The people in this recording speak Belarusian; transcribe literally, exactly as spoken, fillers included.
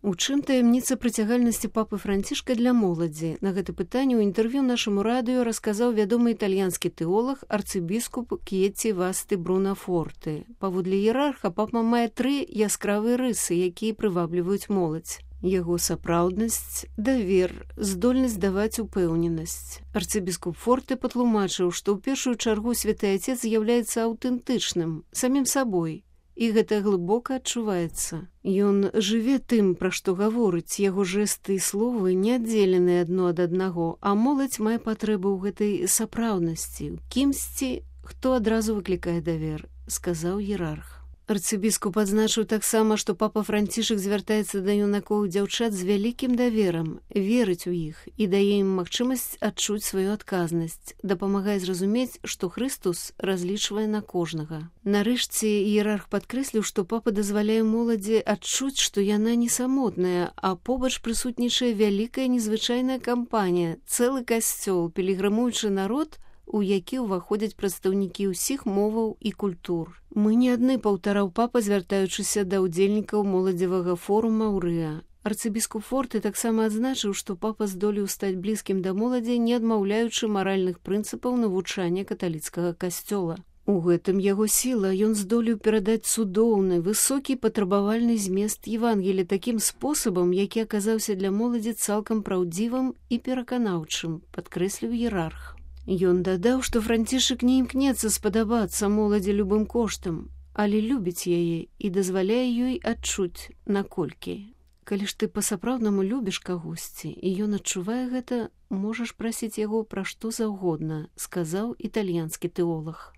У чым таямніца прыцягальнасці папы Францішка для моладзі? На гэта пытанне ў інтэрв'ю нашаму радыё расказаў вядомы італьянскі тэолаг арцыбіскуп К'еці Васты Брунафорты. Паводле іерарха папа мае тры яскравыя рысы, якія прывабліваюць моладзь. Яго сапраўднасць, давер, здольнасць даваць упэўненасць. Арцыбіскуп Форты патлумачыў, што ў першую чаргу святы Ацец з'яўляецца аўтэнтычным, самім сабой, і гэта глыбока адчуваецца. Ён жыве тым, пра што гаворыць, яго жэсты і словы не аддзелены адно ад аднаго, а моладзь мае патрэбу ў гэтай сапраўднасці, у кімсьці, хто адразу выклікае давер, сказаў іерарх. Арцыбіскуп адзначыў таксама, што папа Францішак звяртаецца да юнакоў і дзяўчат з вялікім даверам, верыць у іх і дае ім магчымасць адчуць сваю адказнасць, дапамагае зразумець, што Хрыстус разлічвае на кожнага. Нарэшце іерарх падкрэсліў, што папа дазваляе моладзі адчуць, што яна не самотная, а побач прысутнічае вялікая незвычайная кампанія, цэлы касцёл, пілігрымуючы народ, у які ўваходзяць прадстаўнікі ўсіх моваў і культур. Мы не адны, паўтараў папа, звяртаючыся да ўдзельнікаў моладзевага форума ў Рыа. Арцыбіскуп Форты таксама адзначыў, што папа здолеў стаць блізкім да моладзі, не адмаўляючы маральных прынцыпаў навучання каталіцкага касцёла. У гэтым яго сіла, ён здолеў перадаць цудоўны, высокі патрабавальны змест Евангелія такім спосабам, які аказаўся для моладзі цалкам праўдзівым і пераканаўчым, падкрэсліў іерарх. Ён дадаў, што Францішак не імкнецца спадабацца моладзі любым коштам, але любіць яе і дазваляе ёй адчуць, наколькі. Калі ж ты па-сапраўднаму любіш кагосьці, і ён адчувае гэта, можаш прасіць яго пра што заўгодна, сказаў італьянскі тэолаг.